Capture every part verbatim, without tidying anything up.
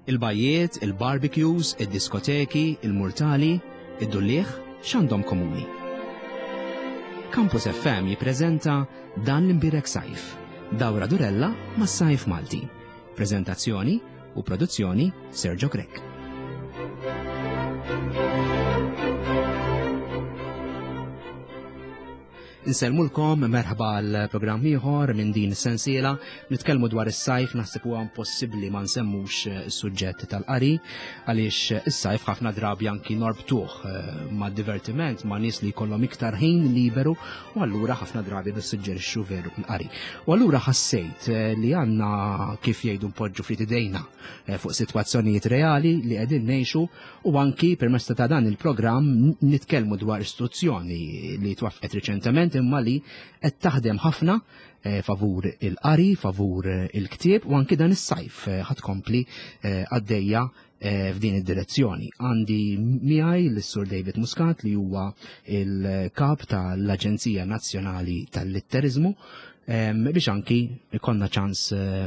Il-bajjiet, il-barbecues, id-diskoteki, il-murtali, id-dulliegħ, x'għandhom komuni? Campus F M jippreżenta Dan l-Imbierek Sajf, dawra durella mas-sajf Malti. Prezentazzjoni u produzzjoni Sergio Grech. Insellmulkom, merħba għal programm ieħor minn din is-sensiela. Nitkellmu dwar is-sajf, naħseb huwa impossibbli ma nsemmux eh, is-suġġett tal-qari, għaliex is-sajf ħafna drabi anki norbtuh eh, ma' divertiment, ma' nies li jkollhom iktar ħin liberu, u allura ħafna drabi nissuġġerixxu veru l-qari. U allura ħassejt eh, li għandna, kif jgħidu, npoġġu ftit idejna fuq sitwazzjonijiet reali li qegħdin ngħixu u anki permezz ta' dan il-programm nitkellmu dwar istituzzjoni li twaffqet riċentement imma li qed taħdem ħafna eh, favur il-qari, favur eh, il-ktieb, u anki dan is-sajf eh, ħa tkompli għaddejja f'din id-direzzjoni. Għandi miegħi l-Sur David Muscat, li huwa il-kap tal-Aġenzija Nazzjonali tal-Litteriżmu, biex anki ikollna ċans,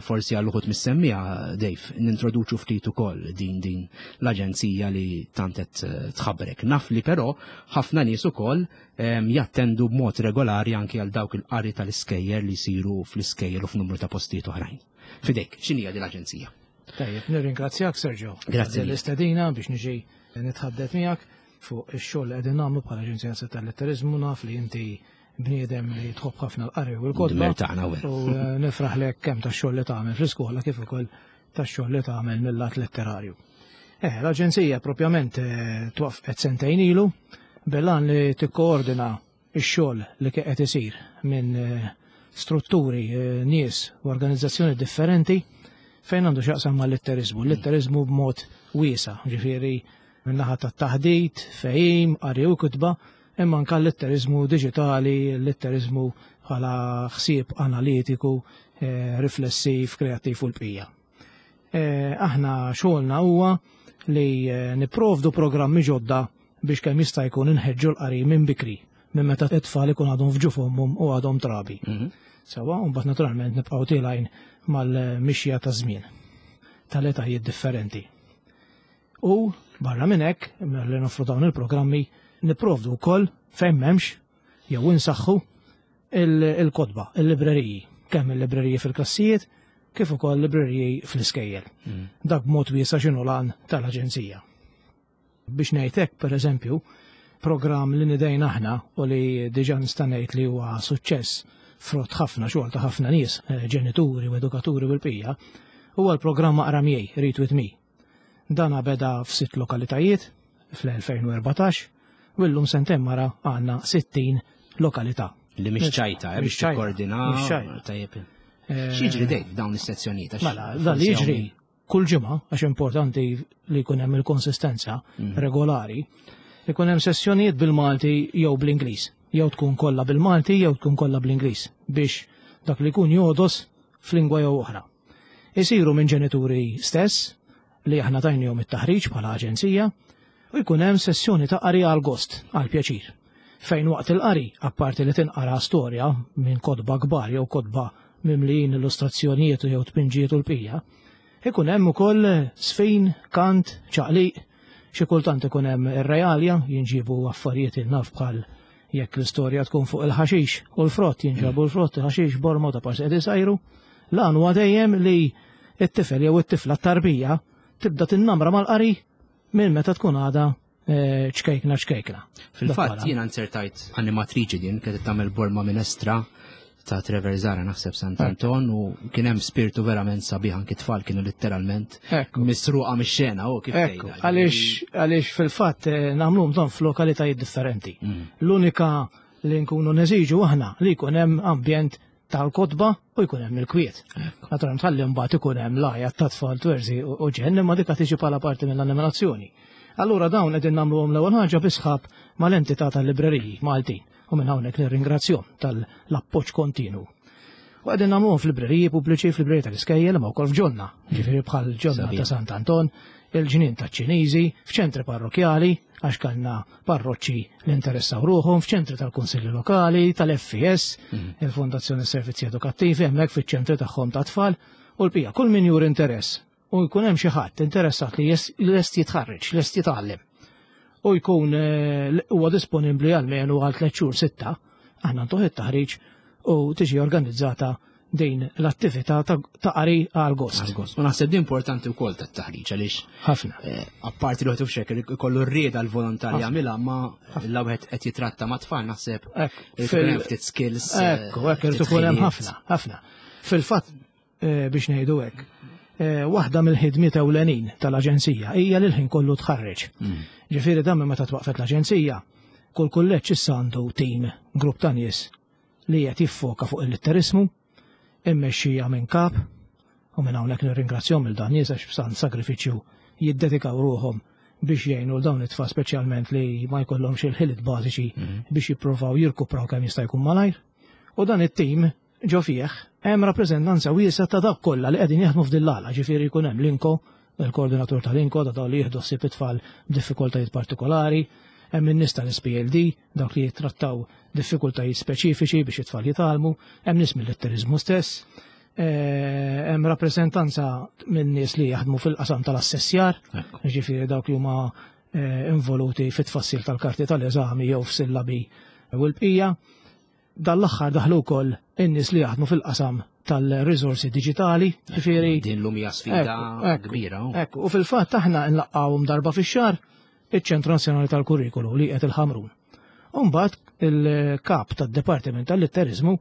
forsi għal uħud mis-semmiegħa, Dave, nintroduċu ftit ukoll din din l-aġenzija li tant qed tħabbrek. Naf li però ħafna nies ukoll jattendu b'mod regolari anki għal dawk il-qari tal-iskejjel li jsiru fl-iskejjel u f'numru ta' postijiet oħrajn. Fidejk, x'inhija din l-aġenzija? Tajjeb, nirringrazzjak, Sergio. Grazzi. L-istedina biex niġi nitħaddet miegħek fuq ix-xogħol li qegħdin nagħmlu bħala Aġenzija tal-Litteriżmu. Naf li inti bniedem li tħobb ħafna l-qari u l-kotba. U eh, nifraħlek kemm tax-xogħol li tagħmel fl-iskola kif ukoll tax-xogħol li tagħmel mill-lat letterarju. Eh, l-aġenzija propjament eh, twaqqfet sentejn ilu bil-għan li tikkoordina x-xogħol li qed isir minn eh, strutturi, nies u organizzazzjoni differenti fejn għandu x'jaqsam mal-litteriżmu. L-litteriżmu b'mod wiesa', ġifieri min-naħa tat-taħdit, fehim, qari u kitba, imma anka l-litteriżmu diġitali, l-litteriżmu bħala ħsieb analitiku, eh, riflessiv, kreattiv u l-bqija. Eh, aħna xogħolna huwa li eh, nipprovdu programmi ġodda biex kemm jista' jkun inħeġġu l-qari minn bikri, minn meta t-tfal ikun għadhom f'ġuf ommhom u għadhom trabi. Mhm. Sewwa, u mbagħad naturalment nibqgħu tilgħin mal-mixja ta' żmien tal-etajiet differenti. U barra minn hekk, li noffru dawn il-programmi, nipprovdu wkoll fejn m'hemmx jew insaħħu il-kotba, il-libreriji, kemm il-libreriji fil-klassijiet kif ukoll libreriji fl-iskejjel. Mhm. Dak b'mod wiesa' x'inhu l-għan tal-aġenzija. Biex ngħidlek, pereżempju, programm li nidejna aħna u li diġà nista' ngħid li huwa suċċess frott ħafna xogħol ta' ħafna nies, eh, ġenituri u edukaturi u l-bqija, huwa l-programm Aqra Miegħi, Read With Me. Dan beda f'sitt lokalitajiet fl-elfejn u erbatax u llum sentejn wara għandna sittin lokalità. Li mhix ċajta, eh, Mhix biex ċajta, tikkoordina. mhix ċajta. Tajjeb. Eh, X'jiġri, Dave, dawn is-sezzjonijiet? Għax Mela, dan li forsi jiġri hawn- kull ġimgħa, għax importanti li jkun hemm il-konsistenza Mm. regolari, ikun hemm sessjonijiet bil-Malti jew bl-Ingliż. Jew tkun kollha bil-Malti jew tkun kollha bl-Ingliż biex dak li jkun jogħdos f'lingwa jew oħra. Isiru minn ġenituri stess li aħna tajnihom it-taħriġ bħala aġenzija u jkun hemm sessjoni ta' qari għal gost, għal pjaċir. Fejn waqt il-qari, apparti li tinqara storja minn kotba kbar jew kotba mimlijin illustrazzjonijiet jew tpinġijiet u l-bqija, ikun hemm ukoll sfin, kant, ċaqliq, xi kultant ikun hemm ir-realja, jinġibu affarijiet il-naf bħal jekk l-istorja tkun fuq il-ħaxix u l-frott, jinġabu l-frott, il-ħaxix, borma ta' parsi qed isajru. L-għan huwa dejjem li it-tifel jew it-tifla tarbija tibda tinnamra mal-qari minn meta tkun għada eh, ċkejkna ċkejkna. Fil-fatt Dak jiena nzertajt animatriċi din kienet tagħmel borma minestra ta' Trevor Zara, naħseb Sant Anton, u kien hemm spiritu verament sabiħ, anki tfal kienu letteralment Ekku. misruqa mix-xena u kif Ekku, tgħidha. għaliex għaliex fil-fatt eh, nagħmluhom dan f'lokalitajiet differenti. Mm. L-unika li nkunu neżiġu aħna li jkun hemm ambjent tal-kotba u jkun hemm il-kwiet. Naturalment ħalli mbagħad ikun hemm l-għajat ta' tfal twerżiq u u ġenn, imma dik tiġi bħala parti mill-animazzjoni. Allura dawn qegħdin nagħmluhom l-ewwel ħaġa bi sħab mal-entità tal-libreriji Maltin u minn hawnhekk nirringrazzjahom tal-appoġġ kontinu. U qegħdin nagħmluhom fl-libreriji pubbliċi, fl-libreriji tal-iskejjel, imma wkoll f'ġonna, ġifieri bħal ġonna Sabiħ. ta' Sant Anton, il-ġnien ta' Ċiniżi, f'ċentri parrokjali, għax kellna parroċċi li interessaw ruħhom, f'ċentri tal-Kunsilli Lokali, tal-F E S, il-Fondazzjoni Servizzi Edukattivi, hemmhekk fiċ-ċentri tagħhom ta' tfal, u l-bqija kull min juri interess. u jkun hemm xi ħadd interessat li lest jitħarreġ, lest jitgħallem u jkun eh, huwa disponibbli għalmenu għal tliet xhur sitta, aħna ntuh it-taħriġ u tiġi organizzata din l-attività ta' qari għal gost. Għal gost. U naħseb din importanti wkoll tat-taħriġ għaliex ħafna. Eh, apparti li wieħed ikollu r-rieda l-volontarja jagħmilha ma l wieħed qed jitratta ma' tfal naħseb ftit skills. Eh, ekku, hekk irid ikun hemm ħafna, ħafna. Fil-fatt eh, biex ngħidu hekk, waħda mill-ħidmiet ewlenin tal-aġenzija hija li l-ħin kollu tħarreġ. Mm. Ġifieri dan meta twaqfet l-aġenzija, kull kulleġġ issa għandu tim, grupp ta' nies li qed jiffoka fuq il-litterismu, immexxija minn kap, u minn hawnhekk nirringrazzjahom il dan nies għax b'san sagrifiċċju jiddedikaw ruħhom biex jgħinu l dawn it-tfal speċjalment li ma jkollhomx il-ħiliet bażiċi mhm. biex jippruvaw jirkupraw kemm jista' jkun malajr. U dan it-tim ġo fih hemm rappreżentanza wiesgħa ta' dawk kollha li qegħdin jaħdmu f'din l-għala, ġifieri jkun hemm l-INCO, il-koordinatur tal-INCO, da dawn li jieħdu ħsieb it-tfal b'diffikultajiet partikolari, hemm in-nies tal-S P L D, dawk li jittrattaw diffikultajiet speċifiċi biex it-tfal jitgħallmu, hemm nies mill-litterizmu stess, eh, hemm rappreżentanza minn nies li jaħdmu fil-qasam tal-assessjar, ġifieri dawk li huma eh, involuti fit-tfassil tal-karti tal-eżami jew f'sillabi u l-bqija. Dan l-aħħar daħlu wkoll in-nies li jaħdmu fil-qasam tal-riżorsi diġitali, ġifieri. Din l hija sfida kbira. Ekku, u fil-fatt aħna nlaqqgħuhom darba fix-xahar iċ-Ċentru Nazzjonali tal-Kurrikulu li qed il-Ħamrun. Umbagħad il-kap tad-Dipartiment tal-Litterizmu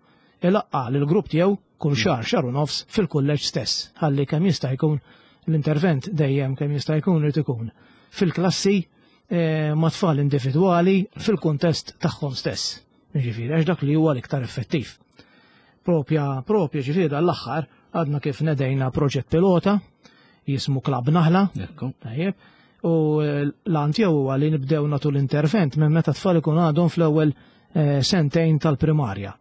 ilaqqa l-grupp tiegħu kull xahar, xahar u nofs fil-kulleġġ stess, ħalli kemm jista' jkun l-intervent dejjem kemm jista' jkun irid ikun fil-klassi eh, ma' tfal individwali fil-kuntest tagħhom stess. Ġifieri, għax dak li huwa l-iktar effettiv. Propja, propja ġifieri l-aħħar għadna kif nedejna proġett pilota jismu Klab Naħla. Tajjeb. U eh, l-għan tiegħu huwa li nibdew nagħtu l-intervent minn meta tfal ikun għadhom fl-ewwel eh, sentejn tal-primarja.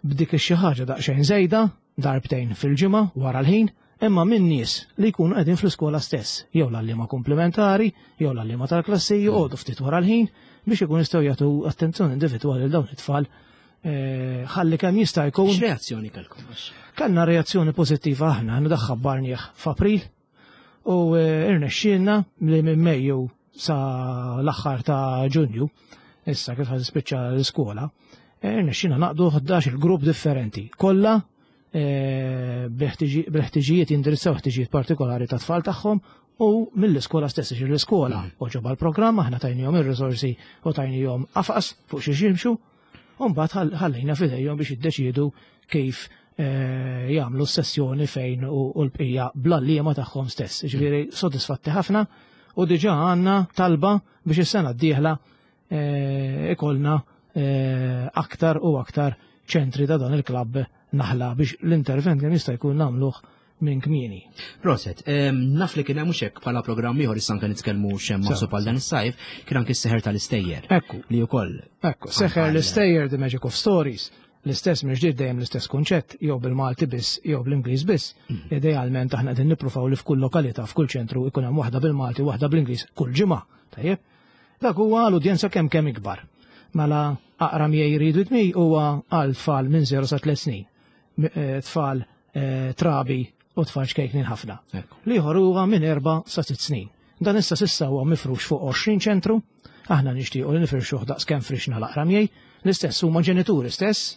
B'dik ix-xi ħaġa daqsxejn żejda, darbtejn fil-ġimgħa wara l-ħin, imma minn nies li jkunu qegħdin fl-iskola stess, jew l-għalliema komplementari, jew l-għalliema tal-klassi joqogħdu ftit wara l-ħin biex ikun jistgħu jagħtu attenzjoni individwali lil dawn it-tfal eh, ħalli kemm jista' jkun. X'reazzjoni kellkom? Kellna reazzjoni pożittiva aħna, aħna ħabbarnieh f'April u eh, irnexxielna li minn Mejju sa l-aħħar ta' Ġunju, issa kif ħa tispiċċa l-iskola, eh, irnexxielna naqdu ħdax il-grupp differenti. Kollha eh, bil-ħtiġijiet jindirizzaw ħtiġijiet partikolari ta' tfal tagħhom u mill-iskola stess, ġir l-iskola mm. għoġobha l-programm, aħna tajnihom ir-riżorsi u tajnihom qafas fuq xi jimxu, u mbagħad ħallejna f'idejhom biex jiddeċiedu kif eh, jagħmlu s-sessjoni fejn u l-bqija bl-għalliema tagħhom stess. Ġifieri sodisfatti ħafna u diġà għandna talba biex is-sena d-dieħla eh, ikollna aktar u aktar ċentri ta' dan il-klabb Naħla biex l-intervent kemm jista' jkun nagħmluh minn kmieni. Proset, naf li kien hemm mhux hekk bħala programm ieħor issa anke nitkellmu x'hemm maħsub għal dan is-sajf, kien anke s-seħer tal-istejjer. Ekku. Li wkoll. Ekku, seħer l-istejjer, The Magic of Stories. L-istess mhux dejjem l-istess kunċett, jew bil-Malti biss, jew bl-Ingliż biss. Mhm. Idealment aħna qegħdin nippruvaw li f'kull lokalità, f'kull ċentru ikun hemm waħda bil-Malti, waħda bl-Ingliż kull ġimgħa. Tajjeb? Dak huwa l-udjenza kemm kemm ikbar. Mela Aqra Miegħi, Read With Me huwa għal tfal minn żero sa tliet snin. Eh, tfal eh, trabi u tfal ċkejknin ħafna. L-ieħor huwa minn erba' sa sitt snin. Dan issa s'issa huwa mifrux fuq għoxrin ċentru, aħna nixtiequ li nifirxuh daqs kemm frixna l-Aqra Miegħi, l-istess huma ġenituri stess,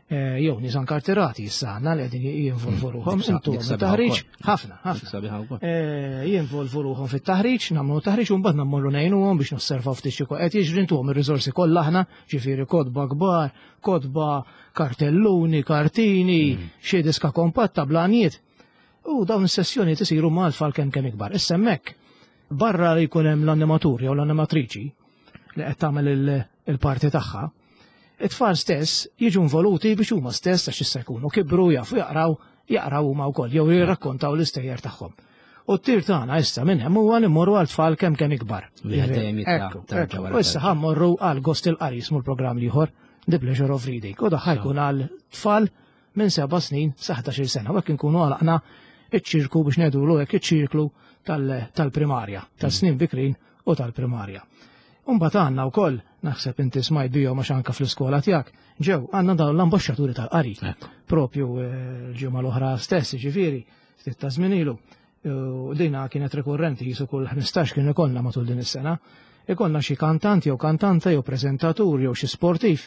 eh, jew nies ankartirati issa għandna li qegħdin jinvolvu ruħhom intu taħriġ ħafna, ħafna. Jinvolvu ruħhom fit-taħriġ, nagħmlu taħriġ u mbagħad nammorru ngħinuhom biex nosservaw ftit xi qed jiġri, intuhom ir-riżorsi kollha aħna, ġifieri kotba kbar, kotba, kartelluni, kartini, mm. xi diska kompatta blanijiet. U dawn is-sessjoni isiru mal tfal kemm kemm ikbar. Issa hemmhekk barra li jkun hemm l-animatur jew l-animatriċi li qed tagħmel il-parti tagħha, it-tfal stess jiġu involuti biex huma stess, għax issa jkunu kibru, jafu jaqraw, jaqraw huma wkoll jew jirrakkontaw l-istejjer tagħhom. U t-tir tagħna issa minn hemm huwa li mmorru għal tfal kemm kemm ikbar. U issa ħa mmorru għal Gost il-Qari jismu l-programm l-ieħor, The Pleasure of Reading. U dak ħa jkun għal tfal minn seba' snin sa ħdax-il sena. U hekk inkunu għalaqna iċ-ċirku biex ngħidulu hekk, iċ-ċirklu tal-primarja, tal-snin bikrin u tal-primarja. Umbagħad għandna wkoll, naħseb inti smajt bihom għax anke fl-iskola tiegħek, ġew għandna dawn l-ambaxxaturi tal-qari. Propju eh, l-ġimgħa l-oħra stess, ġifieri, ftit ta' żmien ilu. U dina kienet rekurrenti jisu kull ħmistax kien ikollna matul din is-sena. Ikollna xi kantant jew kantanta jew preżentatur jew xi sportiv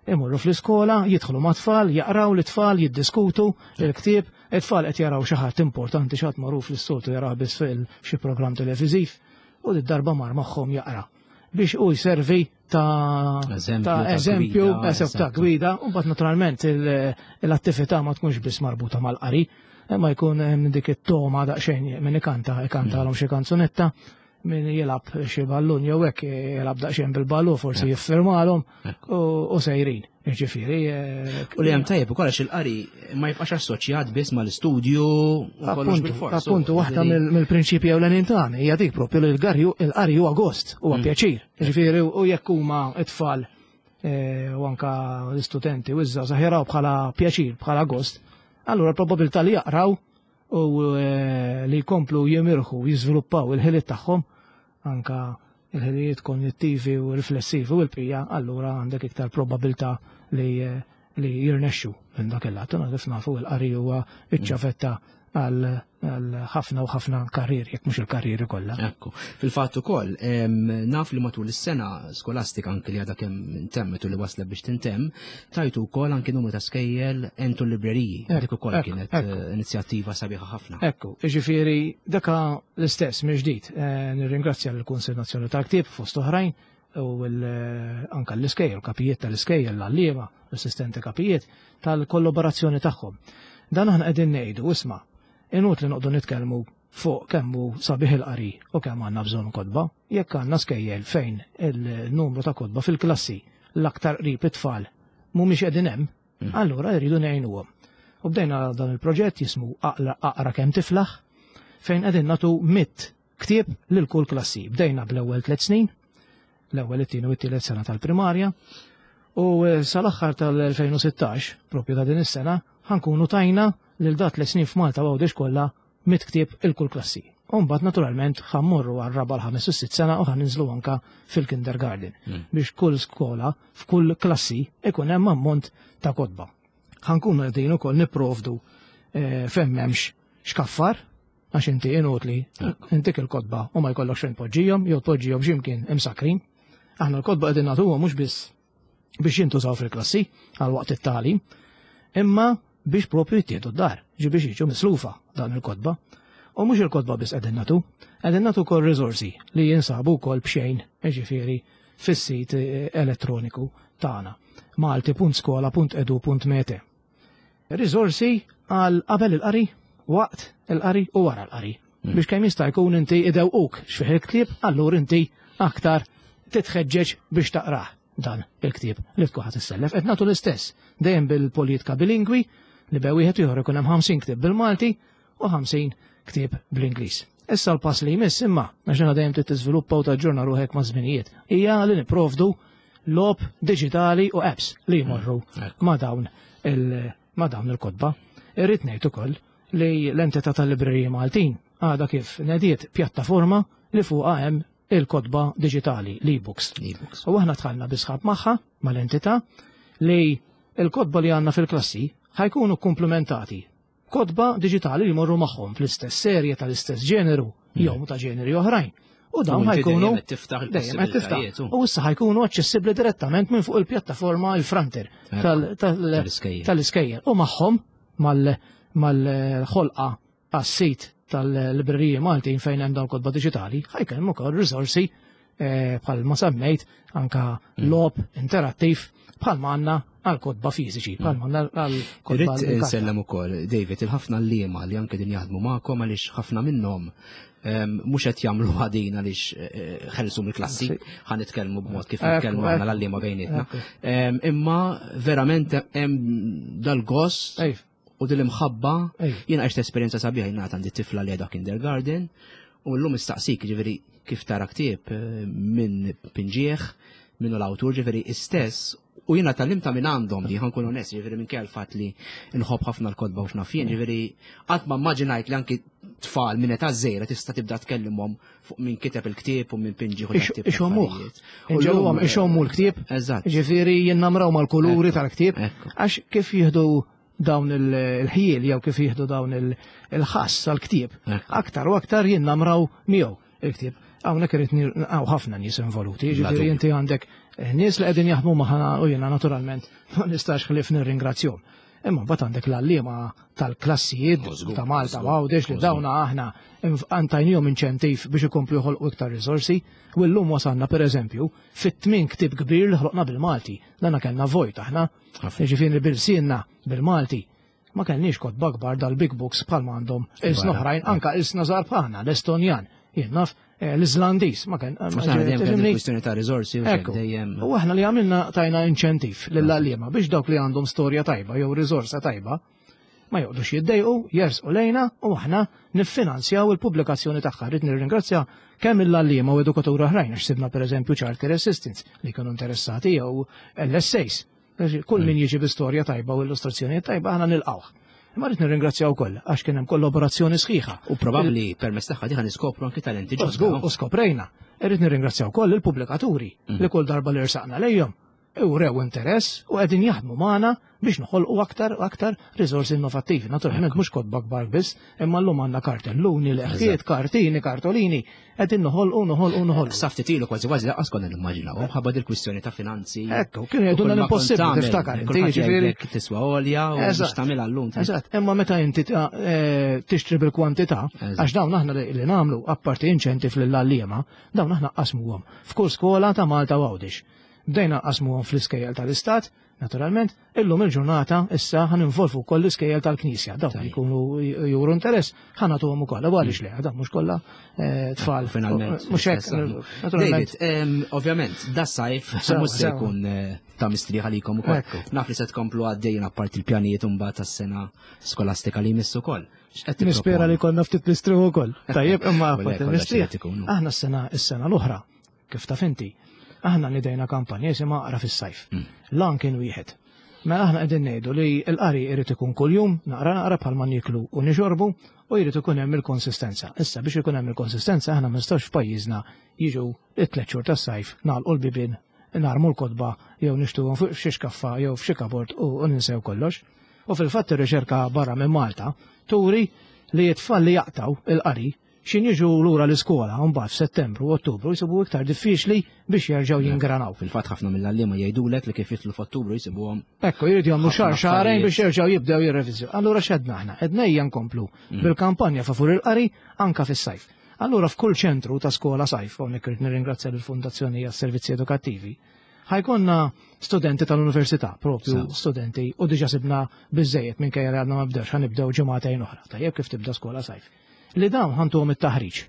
imorru fl-iskola, jidħlu mat-tfal, jaqraw l-tfal, jiddiskutu il-ktieb, it-tfal qed jaraw xi ħadd importanti, xi ħadd magħruf li s-soltu jaraw biss fil xi programm televiżiv, u d-darba mar magħhom jaqra biex u jservi ta' eżempju, ta' gwida, u mbagħad naturalment l-attività ma tkunx biss marbuta mal-qari, imma jkun hemm dik it-toma daqsxejn min ikanta, ikantalhom xi kanzunetta, min jilgħab xi ballun jew hekk jilgħab daqsxejn bil-ballun, forsi jiffirmalhom u sejrin. Jiġifieri. U li hemm tajjeb ukoll għax il-qari ma jibqax assoċjat biss mal-istudju u kollox bil-fors. Appuntu, waħda mill-prinċipji ewlenin tagħna hija dik propju li l-qari huwa gost, huwa pjaċir. Jiġifieri u jekk huma t-tfal u anka l-istudenti u iż-żgħażagħ jaraw bħala pjaċir, bħala gost, allura l-probabilità li jaqraw u li jkomplu jimirħu, jiżviluppaw il-ħiliet tagħhom, anka il-ħiliet kognittivi u riflessivi u l-bqija, allura għandek iktar probabilità li li jirnexxu minn dak il-lat. Kif nafu l-qari huwa iċ-ċavetta għal ħafna u ħafna karrieri, jekk mhux il-karrieri kollha. Ekku. Fil-fatt ukoll, naf li matul is-sena skolastika anke li għadha kemm intemmet u li waslet biex tintemm, tajtu wkoll anke numru ta' skejjel entu l-libreriji. Dik ukoll kienet inizjattiva sabiħa ħafna. Ekku, jiġifieri daka l-istess mill-ġdid. Nirringrazzja lill-Kunsill Nazzjonali tal-Ktieb fost oħrajn u anke l-iskejjel, kapijiet tal-iskejjel, l-għalliema, l-assistenti kapijiet tal-kollaborazzjoni tagħhom. Dan aħna qegħdin ngħidu, isma', inut li noqdu nitkellmu fuq kemm hu sabiħ il-qari u kemm għandna bżonn kotba, jekk għandna skejjel fejn il-numru ta' kotba fil-klassi l-aktar qrib it-tfal mhumiex qegħdin hemm, allura jridu ngħinuhom. U bdejna dan il-proġett jismu Aqra kemm tiflaħ, fejn qegħdin nagħtu mitt ktieb lil kull klassi. Bdejna bl-ewwel tliet snin, l-ewwel, it-tieni u t-tielet sena tal-primarja, u sal-aħħar tal-elfejn u sittax, propju ta' din is-sena, ħankunu tajna lil dat tliet snin f'Malta u Għawdex kollha mitt ktieb il-kull klassi. U mbagħad naturalment ħammorru għar-raba' l-ħames u s-sitt sena u ħaninżlu anka fil-kindergarten biex kull skola f'kull klassi ikun hemm ammont ta' kotba. Ħankunu qegħdin ukoll nipprovdu fejn m'hemmx xkaffar, għax inti inutli intik il-kotba u ma jkollokx fejn tpoġġihom jew tpoġġihom x'imkien imsakrin. Aħna l-kotba qegħdin nagħtuhom mhux biss biex jintużaw fil-klassi għal waqt it-tagħlim, imma biex propju jittieħdu d-dar, ġi biex jiġu mislufa dan il-kotba. U mhux il-kotba biss qegħdin nagħtu, qegħdin nagħtu wkoll riżorsi li jinsabu wkoll b'xejn, jiġifieri fis-sit elettroniku tagħna malti punt skola punt edu punt mete. Riżorsi għal qabel il-qari, waqt il-qari u wara l-qari. Biex kemm jista' jkun inti idewquk x'fih il-ktieb, allura inti aktar titħeġġeġ biex taqrah dan il-ktieb li tkun ħadd issellef. Qed nagħtu l-istess dejjem bil-politika bilingwi li bej wieħed ieħor ikun hemm ħamsin ktieb bil-Malti u ħamsin ktieb bl-Ingliż. Issa l-pass li jmiss imma, għax aħna dejjem trid tiżviluppa u taġġorna ruħek ma' żminijiet, hija li nipprovdu logħob diġitali u apps li jmorru ma' dawn il-, ma' dawn il-kotba. Irrid ngħid ukoll li l-entità tal-libreriji Maltin għadha kif nediet pjattaforma li fuqha hemm il-kotba diġitali, l-e-books. L-e-books. U aħna dħalna bi sħab magħha, mal-entità, li l-kotba li għandna fil-klassi ħajkunu komplementati kotba diġitali li jmorru magħhom fl-istess serje tal-istess ġeneru jew ta' ġeneri oħrajn. U dawn U inti ħajkunu dejjem qed tiftaħ dejjem qed tiftaħ. il-possibilitajiet, u. U issa ħajkunu aċċessibbli direttament minn fuq il-pjattaforma il-Frontier Ekku. tal-, tal-, Tal-iskejjel. tal-iskejjel. U magħhom mal-, mal-ħolqa għas-sit tal-libreriji Maltin fejn hemm dawn kotba diġitali, ħajkun hemm ukoll riżorsi, eh, bħal ma semmejt anka Mm. logħob interattiv bħal ma għandna għal kotba fiżiċi, bħal ma għandna għal kotba Irrid l-karta. insellem ukoll, David, il-ħafna l-liema li anke din jaħdmu magħkom għaliex ħafna minnhom, ehm, mhux qed jagħmlu ħadin għaliex, eh, ħelsu mill-klassi, Sì. ħa nitkellmu b'mod kif Ekku, nitkellmu aħna ekku. l-għalliema bejnietna. Ekku. Ehm, imma verament hemm dal-gost Ejf. u dil-imħabba. Ejf. Jiena għext esperjenza sabiħa, jiena għandi tifla li għadha kindergarten u llum istaqsik, ġifieri kif tara ktieb, eh, minn pinġieħ, minnu l-awtur, ġifieri istess, u jiena tgħallimta minn għandhom di, ħankun onest, ġifieri minn kell fatt li nħobb ħafna l-kotba u x'naf jien, ġifieri qatt ma immaġinajt li anki tfal minn età żgħira tista' tibda tkellimhom fuq min kiteb il-ktieb u min pinġieħ u Ix- dak tip ta' ixommuh. affarijiet. U Inġelhom llum, ixommu l-ktieb. Eżatt. Ġifieri jinnamraw mal-kuluri Ekku, tal-ktieb, ekku. għax kif jieħdu dawn il-ħjiel jew kif jieħdu dawn il-ħass għal-ktieb, aktar u aktar jinnamraw miegħu il-ktieb. Hawnhekk irid hawn ħafna nies involuti, jiġifieri inti għandek nies li qegħdin jaħdmu magħna u jiena naturalment ma nistax ħlief nirringrazzjahom. Imma mbagħad għandek l-għalliema tal-klassijiet ta' Malta u Għawdex li dawna aħna tajnihom inċentiv biex ikomplu joħolqu iktar riżorsi, u llum wasalna pereżempju fit-tmien ktieb kbir li ħloqna bil-Malti. Dana kellna vojt aħna, jiġifieri bil-sienna bil-Malti. Ma kellniex kotba kbar dal-big books bħalma għandhom ilsna oħrajn, anka ilsna żgħar bħalna, l-Estonjan, jien naf, l-Islandiż, ma kien. Kwistjoni ta' riżorsi u dejjem. U aħna li għamilna tajna inċentiv lill-għalliema biex dawk li għandhom storja tajba jew riżorsa tajba ma joqgħodux jiddejqu, jersqu lejna u aħna niffinanzjaw il-pubblikazzjoni tagħha. Rrid nirringrazzja kemm il-għalliema u edukaturi oħrajn għax sibna pereżempju child care assistants li kienu interessati jew L S As. Kull min jiġi bi storja tajba u illustrazzjoni tajba, aħna nilqawh. Imma rrid nirringrazzjaw ukoll għax kien hemm kollaborazzjoni sħiħa. U probabbli permezz tagħha diħa niskopru anki talenti ġodda. U skoprejna. Irrid nirringrazzjaw ukoll il-pubblikaturi li kull darba li rsaqna lejhom urew interess u qegħdin jaħdmu magħna biex noħolqu aktar u aktar riżorsi innovattivi. Naturalment mhux kotba kbar biss, imma llum għandna kartelluni, leħkiet, kartini, kartolini, qegħdin noħolqu, noħolqu, noħolqu. Sa ftit ilu kważi kważi lanqas konna nimmaġinaw, ħabba dil-kwistjoni ta' finanzi. Ekku, kienu jgħidulna l-impossibbli, tiftakar inti, jiġifieri. Tiswa għolja u biex tagħmilha llum. Eżatt, imma meta inti eh, tixtri bil-kwantità, għax dawn aħna li nagħmlu apparti inċentiv lill-għalliema, dawn aħna qasmuhom f'kull skola ta' Malta u Għawdex. Bdejna qasmuhom fl-iskejjel tal-Istat, naturalment, illum il-ġurnata issa ħa ninvolvu wkoll l-iskejjel tal-Knisja. Dawn jkunu juru interess, ħa nagħtuhom ukoll. U għaliex le, dan mhux kollha eh, tfal. Finalment. Mhux hekk, naturalment. David, ovvjament, da sajf mhux se jkun eh, ta' mistrieħ għalikom ukoll. Naf li se tkomplu għaddejjin apparti il-pjanijiet mbagħad tas-sena skolastika li jmiss ukoll. Nispera li konna ftit nistrieħu ukoll. Tajjeb, imma apparti mistrieħ. Aħna s-sena s-sena l-oħra, kif taf inti, aħna nidejna kampanja jisimha Aqra fis-Sajf. Mm. Lan kien wieħed. Mela aħna qegħdin ngħidu li l-qari jrid ikun kuljum, naqra naqra bħalma nieklu u nixorbu, u jrid ikun hemm il-konsistenza. Issa biex ikun hemm il-konsistenza, aħna ma nistgħux f'pajjiżna jiġu it-tliet xhur tas-sajf, nagħlqu l-bibien, narmu l-kotba jew nixtuhom fuq f'xi xkaffa jew f'xi kabord u ninsew kollox. U fil-fatt ir-riċerka barra minn Malta turi li t-tfal li jaqtaw il-qari xin jiġu lura l-iskola mbagħad f'Settembru u Ottubru jsibu iktar diffiċli biex jerġgħu jingranaw. Fil-fatt ħafna mill-għalliema jgħidulek li kif jidħlu f'Ottubru jsibuhom. Ekku, jridu jagħmlu xahar, xahrejn biex jerġgħu jibdew jirrevizju. Allura x'għedna aħna? Għedna ejja nkomplu mm. bil-kampanja favur il-qari anka fis-sajf. Allura f'kull ċentru ta' skola sajf, hawnhekk irid nirringrazzja lill-Fundazzjoni għas-Servizzi Edukattivi, ħa jkollna studenti tal-università, propju studenti, u diġa sibna biżejjed minkejja li għadna ma bdewx, ħa nibdew ġimagħtejn oħra, tajjeb, kif tibda skola sajf. Li dawn ħa ntuhom it-taħriġ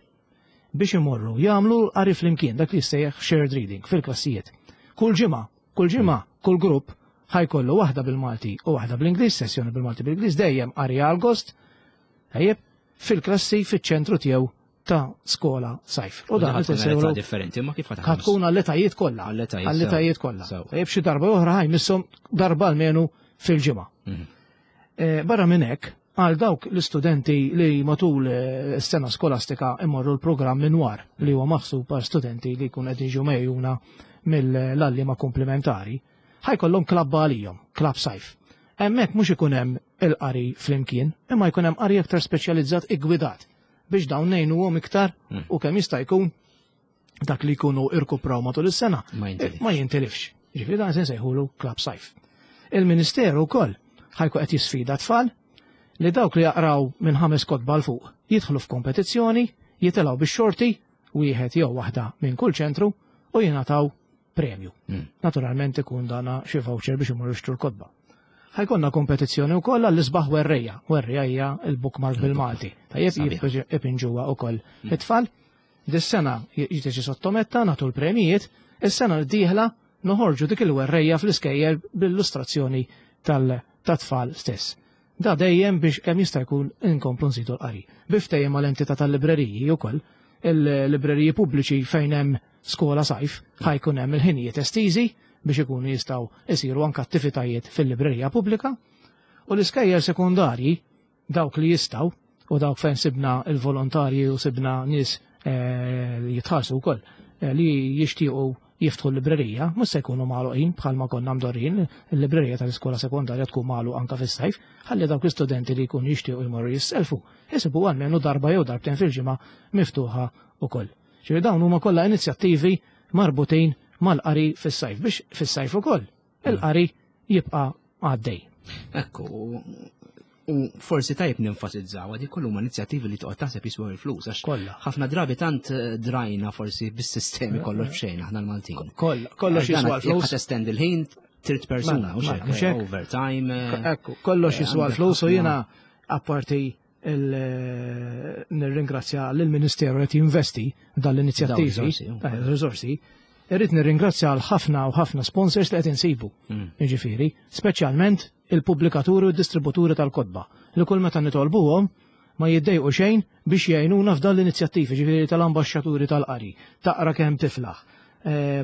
biex imorru jagħmlu qari flimkien, dak li jissejjaħ shared reading fil-klassijiet. Kull ġimgħa, kull ġimgħa, kull grupp ħa jkollu waħda bil-Malti u waħda bl-Ingliż, sessjoni bil-Malti bil-Ingliż, dejjem qari għal gost, tajjeb, fil-klassi fiċ-ċentru tiegħu ta' skola sajf. U dan qed differenti, ma kif ħa tkun għall-etajiet kollha. Għall-etajiet kollha. Tajjeb, xi darba oħra ħa jmisshom darba almenu fil-ġimgħa. Mhm. Eh, barra minn hekk, għal dawk l-istudenti li matul eh, s-sena skolastika imorru l-programm minwar li huwa maħsub għal studenti li jkun qed jiġu megħjuna mill-għalliema komplementari, ħa jkollhom klabba għalihom, klab sajf. Hemmhekk mhux ikun hemm il-qari flimkien, imma jkun hemm qari aktar speċjalizzat iggwidat biex dawn ngħinuhom iktar hmm. u kemm jista' jkun dak li jkunu irkupraw matul is-sena ma jintilifx. Ġifieri dan se nsejħulu klab sajf. Il-Ministeru wkoll ħa jkun qed jisfida tfal li dawk li jaqraw minn ħames kotba 'l fuq jidħlu f'kompetizzjoni, jitilgħu bix-xorti wieħed jew waħda minn kull ċentru u jingħataw premju. Mm. Naturalment ikun dana xi voucher biex imorru jixtru l-kotba. Ħa jkollna kompetizzjoni wkoll għall-isbaħ werrejja. Werrejja hija il-bookmark bil-Malti. Tajjeb, ipinġuha wkoll mm. it-tfal. Dis-sena jiġi sottometta, nagħtu l-premijiet, is-sena d-dieħla noħorġu dik il-werrejja fl-iskejjel bil-illustrazzjoni tal-tfal stess. Da dejjem biex kemm jista' jkun inkomplu nżidu l-qari. Bi ftehim mal-entità tal-libreriji wkoll, il-libreriji pubbliċi fejn hemm skola sajf, ħa jkun hemm il-ħinijiet estiżi biex ikunu jistgħu isiru anke attivitajiet fil-librerija pubblika, u l-iskejjel sekundarji, dawk li jistgħu u dawk fejn sibna il-volontarji u sibna nies eh, li jitħallsu wkoll eh, li jixtiequ jiftħu l-librerija, mhux se jkunu magħluqin bħalma konna mdorrin, il-librerija tal-iskola sekondarja tkun magħluq anke fis-sajf, ħalli dawk l-istudenti li jkunu jixtiequ jmorru jisselfu, jisibu almenu darba jew darbtejn fil-ġimgħa miftuħa ukoll. Ġifieri dawn huma kollha inizjattivi marbutin mal-qari fis-sajf biex fis-sajf ukoll il-qari jibqa' għaddej. Ekku, u forsi tajb nenfasizzaw, għadi kollu ma inizjattivi li toqgħod taħseb jiswew il-flus, għax ħafna drabi tant drajna forsi bis-sistemi kollox b'xejn aħna l-Maltin. Kollox jiswa l-flus. Jekk testend il-ħin trid persuna, u xek, overtime. Ekku, kollox jiswa l-flus u jiena apparti nirringrazzja lill-Ministeru qed jinvesti dal-inizjattivi, riżorsi. Irrid nirringrazzja għal ħafna u ħafna sponsors li qed insibu. Jiġifieri, speċjalment il-pubblikaturi u d-distributuri tal-kotba li kull meta nitolbuhom ma jiddejqu xejn biex jgħinuna f'dan l-inizjattivi, ġifieri tal-ambaxxaturi tal-qari, taqra kemm tiflaħ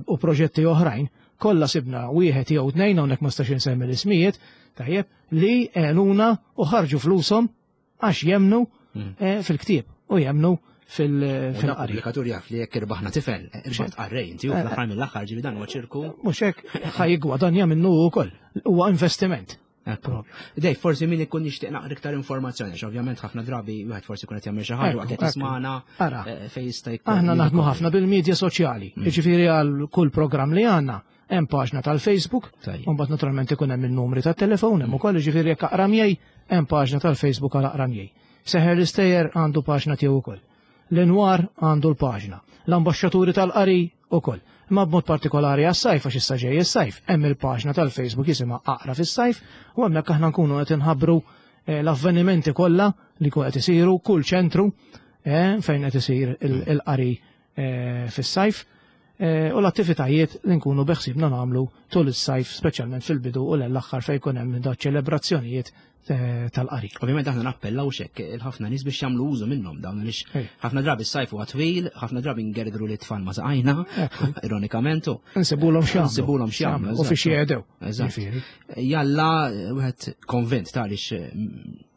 u proġetti oħrajn, kollha sibna wieħed jew tnejn hawnhekk ma stax insemmi l-ismijiet, tajjeb, li għenuna u ħarġu flushom għax jemnu fil-ktieb u jemnu fil-qari. Pubblikatur jaf li jekk irbaħna tifel, irbaħt qarrej inti u fl-aħħar mill-aħħar ġifi dan huwa ċirku. Mhux hekk ħa jiggwadanja minnu wkoll, huwa investiment. Dej, forsi min ikun jixtieq naqra iktar informazzjoni, għax ovvjament ħafna drabi wieħed forsi jkun qed jagħmel xi ħaġa waqt qed jismagħna fejn jista' jkun. Aħna naħdmu ħafna bil-medja soċjali, jiġifieri għal kull programm li għandna hemm paġna tal-Facebook, u mbagħad naturalment ikun hemm in-numri tat-telefon hemm ukoll, jiġifieri jekk Aqra Miegħi hemm paġna tal-Facebook għal Aqra Miegħi. Seħer l-Istejjer għandu paġna tiegħu wkoll. L-Inwar għandu l-paġna, l-ambaxxaturi tal-qari ukoll. Imma b'mod partikolari għas-sajf, għax issa ġej is-sajf, hemm il-paġna tal-Facebook jisimha Aqra fis-sajf, u hemmhekk aħna nkunu qed inħabbru l-avvenimenti kollha li jkun qed isiru kull ċentru fejn qed isir il-qari fis-sajf u l-attivitajiet li nkunu beħsibna nagħmlu tul is-sajf, speċjalment fil-bidu u l-aħħar fejn jkun hemm da ċelebrazzjonijiet tal-qari. Ovvjament aħna nappellaw xek il-ħafna nies biex jagħmlu użu minnhom dawn għaliex ħafna drabi s-sajf huwa twil, ħafna drabi ngergru li tfal ma saqajna, ironikament. Insibulhom x'jagħmlu. Insibulhom x'jagħmlu. U fiex jgħedew. Jalla wieħed konvint ta' għaliex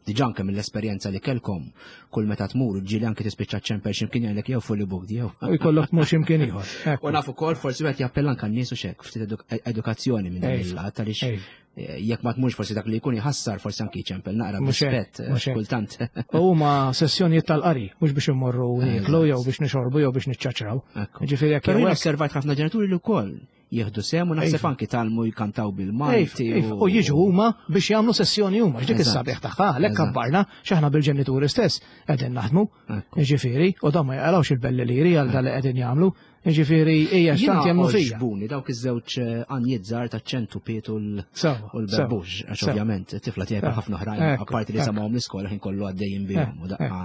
diġà anke mill-esperjenza li kellkom kull meta tmur ġieli anke tispiċċa ċemper x'imkien jgħidlek jew fully booked jew. U jkollok tmur x'imkien ieħor. U naf ukoll forsi wieħed jappella anke n-nies u xek ftit edukazzjoni minn dan il-lat għaliex jekk ma tmurx forsi dak li jkun jħassar forsi anke jċempel naqra b'rispett kultant. U huma sessjonijiet tal-qari, mhux biex immorru nieklu jew biex nixorbu jew biex niċċaċraw. Ġifieri jekk Però osservajt ħafna ġenituri li wkoll jieħdu sehem u naħseb anki talmu jkantaw bil-Malti. U jiġu huma biex jagħmlu sessjoni huma, x'dik is-sabiħ tagħha, għalhekk kabbarna x'aħna bil-ġenituri stess qegħdin naħdmu. Jiġifieri, u dan ma jaqalgħux il-belli liri għal dan li qegħdin jagħmlu. Jiġifieri hija x'tant jemmnu fija. Ġbuni dawk iż-żewġ għanjiet żgħar taċ-ċentu Piet u l-Berbux, għax ovvjament it-tifla tiegħek ħafna oħrajn, apparti li samahom l-iskola ħin kollu għaddejjin bihom u daqqa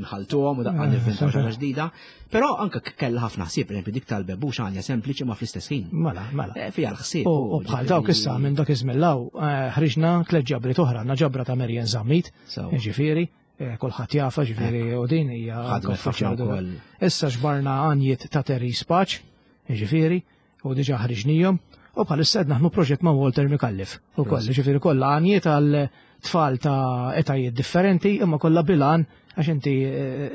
nħaltuhom u daqqa nivvintaw xi ħaġa ġdida. Però anke kellha ħafna ħsieb, pereżempju dik tal-Berbux għanja sempliċi ma fl-istess ħin. Mela, mela. Fiha l-ħsieb. U bħal dawk issa minn dak iż-żmien law ħriġna tliet ġabriet oħra, għandna ġabra ta' Marian Zammit, jiġifieri, kulħadd jafa ġifieri u din hija Issa ġbarna għanjiet ta' Terry Spaċ, jiġifieri, u diġà ħriġnihom, u bħalissa qed naħdmu proġett ma' Walter Mikallif ukoll, jiġifieri kollha għanjiet għal tfal ta' etajiet differenti, imma kollha bilan għax inti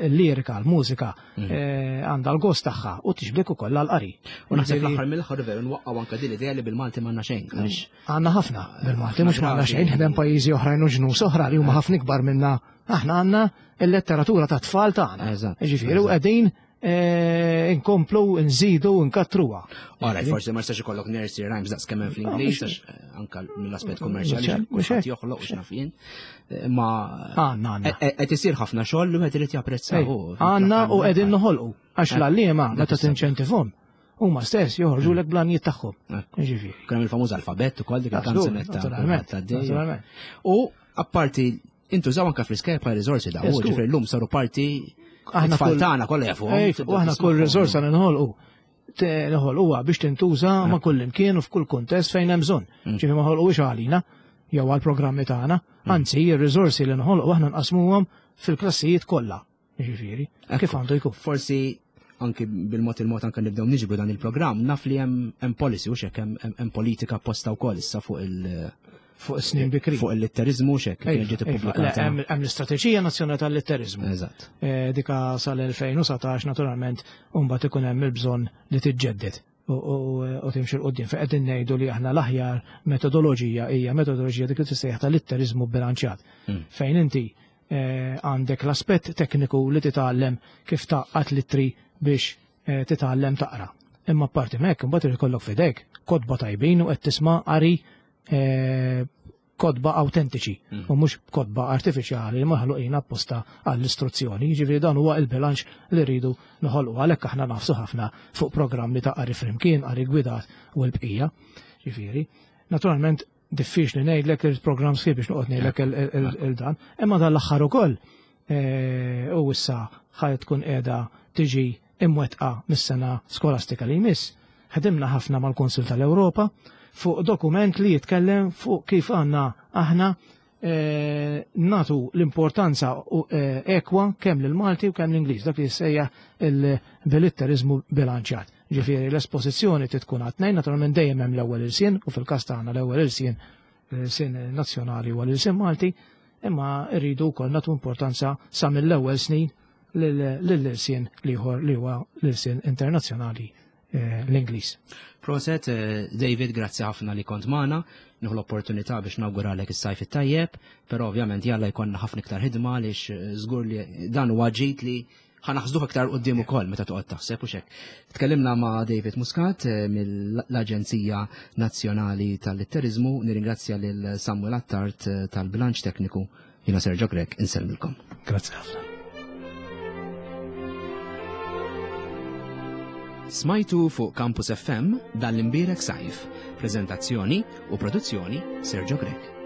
l-lirika, l-mużika għandha l-gost tagħha u tixbdek ukoll għall-qari. U naħseb l-aħħar mill-aħħar veru nwaqqgħu anke din l-idea li bil-Malti m'għandna xejn. Għandna ħafna bil-Malti, mhux m'għandna xejn, ħdem pajjiżi oħrajn u ġnus oħra li huma ħafna ikbar minna. Aħna għandna l-letteratura ta' tfal tagħna. Jiġifieri u qegħdin inkomplu, nżidu, nkattruha. Ora, forsi ma jistax ikollok nursery rhymes daqs kemm hemm fl-Ingliż, għax anke mill-aspett kummerċjali kulħadd joħloq u x'naf jien. Ma għandna qed isir ħafna xogħol li wieħed irid japprezzahu. Għandna u qegħdin noħolqu għax l-għalliema meta tinċentivhom huma stess joħorġulek blanijiet tagħhom. Jiġifieri. Kien hemm il-famuż alfabett ukoll dik il-kanzunetta. Naturalment. U apparti intużaw anke fl-iskejjel bħala riżorsi daw, ġifieri llum saru parti aħna tfal kollha jafuhom. U aħna kull riżorsa li noħolqu noħolquha biex tintuża ma' kull imkien u f'kull kuntest fejn hemm bżonn. Ġifieri ma ħolquhiex għalina jew għall-programmi tagħna, anzi ir-riżorsi li noħolqu aħna nqasmuhom fil-klassijiet kollha. Ġifieri, kif għandu jkun. Forsi anki bil-mod il-mod anke nibdew niġbru dan il-programm, naf li hemm policy u x'hekk hemm politika apposta wkoll issa fuq il- fuq snin bikri. Fuq il-litterizmu xek, kien ġiet ippubblikata. Hemm l-istrateġija nazzjonali tal-litterizmu. Eżatt. Dika sal-elfejn u satax naturalment u mbagħad ikun hemm il-bżonn li tiġġedded. u timxi 'l quddiem. Fejn qegħdin ngħidu li aħna l-aħjar metodoloġija hija metodoloġija dik li tissejjaħ tal-litteriżmu bilanċjat. Fejn inti għandek l-aspett tekniku li titgħallem kif tgħaqqad l-ittri biex titgħallem taqra. Imma apparti m'hekk imbagħad irid ikollok f'idejk kotba tajbin u qed tisma' qari kotba autentiċi u mhux kotba artifiċjali li maħluqin apposta għall-istruzzjoni. Jiġifieri dan huwa il-bilanċ li rridu noħolqu, għalhekk aħna nafsu ħafna fuq programmi ta' qari flimkien, qari gwidat u l-bqija. Jiġifieri, naturalment diffiċli ngħidlek il-programm sħiħ biex noqgħod ngħidlek il-dan, imma dan l-aħħar ukoll u issa ħaj tkun qiegħda tiġi imwettqa mis-sena skolastika li jmiss. Ħdimna ħafna mal-Kunsill tal-Ewropa fuq dokument li jitkellem fuq kif għandna aħna natu l-importanza ekwa kemm lill-Malti u kemm l-Ingliż, dak li jissejjaħ il-bilitteriżmu bilanċjat. Ġifieri l-espożizzjoni tkun għat-tnejn, naturalment dejjem hemm l-ewwel ilsien, u fil-każ tagħna l-ewwel ilsien l-ilsien nazzjonali huwa l-ilsien Malti, imma rridu wkoll nagħtu importanza sa mill-ewwel snin lill-ilsien l-ieħor li huwa l-ilsien internazzjonali, l-Ingliż. Proset, David, grazzi ħafna li kont magħna. Nieħu l-opportunità biex nawguralek is-sajf it-tajjeb, però ovvjament jalla jkollna ħafna iktar ħidma għaliex żgur li dan huwa ġid li ħanaħsduh iktar quddiem ukoll meta toqgħod taħseb u xek. Tkellimna ma' David Muscat mill-Aġenzija Nazzjonali tal-Litteriżmu, nirringrazzja lil Samuel Attard tal-Bilanċ Tekniku, jiena Sergio Grech, insellmilkom. Grazzi ħafna. Smajtu fuq Campus F M dan l-imbierek sajf. Prezentazzjoni u produzzjoni Sergio Grech.